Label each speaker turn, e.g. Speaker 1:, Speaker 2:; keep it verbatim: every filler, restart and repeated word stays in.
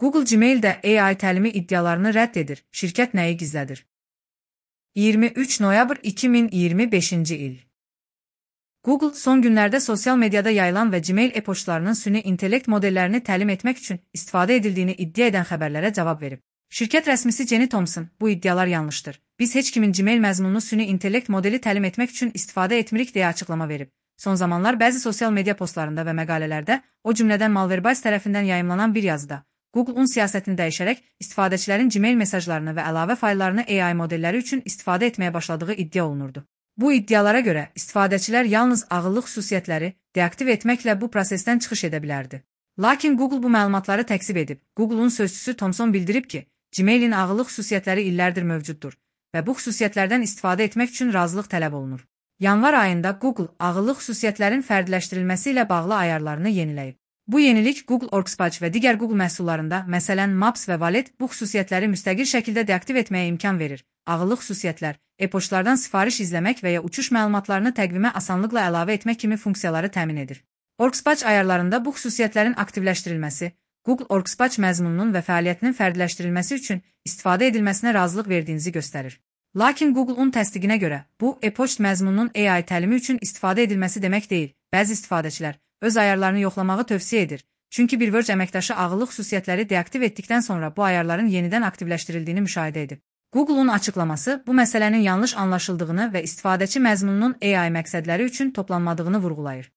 Speaker 1: Google Gmail'də A I təlimi iddialarını rədd edir. Şirkət nəyi gizlədir? iyirmi üç noyabr iki min iyirmi beşinci il. Google son günlərdə sosial mediada yayılan və Gmail e-poçtlarının süni intellekt modellərini təlim etmək üçün istifadə edildiyini iddia edən xəbərlərə cavab verib. Şirkət rəsmisi Jenny Thompson, bu iddialar yanlışdır. Biz heç kimin Gmail məzmununu süni intellekt modeli təlim etmək üçün istifadə etmirik deyə açıqlama verib. Son zamanlar bəzi sosial media postlarında və məqalələrdə, o cümlədən Malwarebytes tərəfindən yayımlanan bir yazıda, Google-un siyasətini dəyişərək istifadəçilərin Gmail mesajlarını və əlavə fayllarını A I modelləri üçün istifadə etməyə başladığı iddia olunurdu. Bu iddialara görə istifadəçilər yalnız ağıllı xüsusiyyətləri deaktiv etməklə bu prosesdən çıxış edə bilərdi. Lakin Google bu məlumatları təkzib edib. Google-un sözçüsü Thomson bildirib ki, Gmailin ağıllı xüsusiyyətləri illərdir mövcuddur və bu xüsusiyyətlərdən istifadə etmək üçün razılıq tələb olunur. Yanvar ayında Google ağıllı xüsusiyyətlərin fərdiləşdirilməsi ilə bağlı ayarlarını yeniləyib. Bu yenilik Google Workspace və digər Google məhsullarında, məsələn Maps və Wallet, bu xüsusiyyətləri müstəqil şəkildə deaktiv etməyə imkan verir. Ağıllı xüsusiyyətlər, e-poçtlardan sifariş izləmək və ya uçuş məlumatlarını təqvimə asanlıqla əlavə etmək kimi funksiyaları təmin edir. Workspace ayarlarında bu xüsusiyyətlərin aktivləşdirilməsi, Google Workspace məzmununun və fəaliyyətinin fərdiləşdirilməsi üçün istifadə edilməsinə razılıq verdiyinizi göstərir. Lakin Google-un təsdiqinə görə, bu e-poçt məzmununun A I təlimi üçün istifadə edilməsi demək deyil. Bəzi istifadəçilər öz ayarlarını yoxlamağı tövsiyə edir. Çünki bir Verge əməkdaşı ağıllı xüsusiyyətləri deaktiv etdikdən sonra bu ayarların yenidən aktivləşdirildiyini müşahidə edib. Google-un açıqlaması bu məsələnin yanlış anlaşıldığını və istifadəçi məzmununun A I məqsədləri üçün toplanmadığını vurğulayır.